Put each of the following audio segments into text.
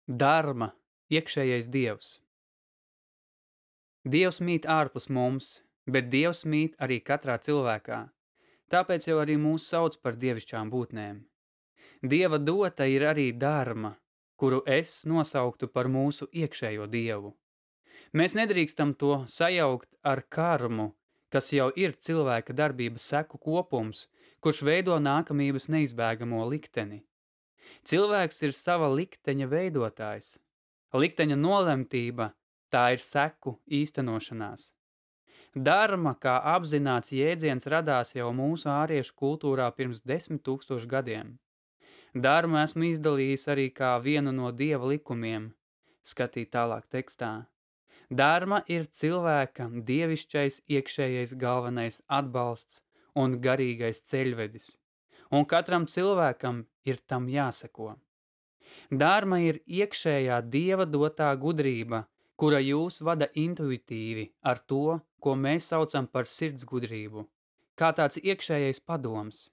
Dharma, iekšējais dievs. Dievs mīt ārpus mums, bet Dievs mīt arī katrā cilvēkā. Tāpēc jau arī mūs sauc par dievišķām būtnēm. Dieva dota ir arī dharma, kuru es nosauktu par mūsu iekšējo dievu. Mēs nedrīkstam to sajaukt ar karmu, kas jau ir cilvēka darbības seku kopums, kurš veido nākamības neizbēgamo likteni. Cilvēks ir sava likteņa veidotājs. Likteņa nolemtība tā ir seku īstenošanās. Dharma kā apzināts jēdziens radās jau mūsu āriešu kultūrā pirms 10 000 gadiem. Dharmu esmu izdalījis arī kā vienu no dieva likumiem. Skatīt tālāk tekstā. Dharma ir cilvēka dievišķais iekšējais galvenais atbalsts un garīgais ceļvedis, un katram cilvēkam ir tam jāseko. Dharma ir iekšējā dieva dotā gudrība, kura jūs vada intuitīvi ar to, ko mēs saucam par sirds gudrību, kā tāds iekšējais padoms.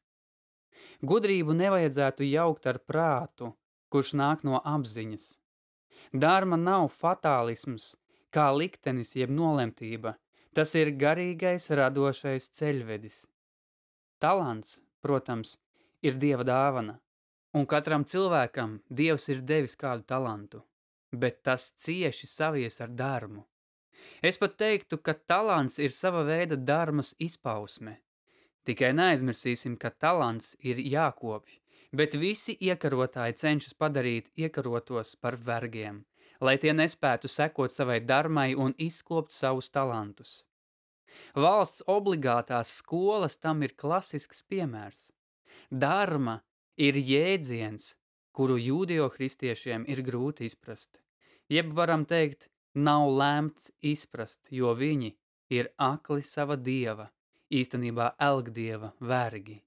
Gudrību nevajadzētu jaukt ar prātu, kurš nāk no apziņas. Dharma nav fatālisms, kā liktenis jeb nolemtība, tas ir garīgais radošais ceļvedis. Talants, protams, ir dieva dāvana, un katram cilvēkam Dievs ir devis kādu talantu, bet tas cieši savies ar dharmu. Es pat teiktu, ka talants ir sava veida dharmas izpausme. Tikai neaizmirsīsim, ka talants ir jākopj, bet visi iekarotāji cenšas padarīt iekarotos par vergiem, lai tie nespētu sekot savai dharmai un izkopt savus talantus. Valsts obligātās skolas tam ir klasisks piemērs. Dharma ir jēdziens, kuru jūdeo-kristiešiem ir grūti izprast. Jeb varam teikt, nav lēmts izprast, jo viņi ir akli sava dieva, īstenībā elgdieva vergi.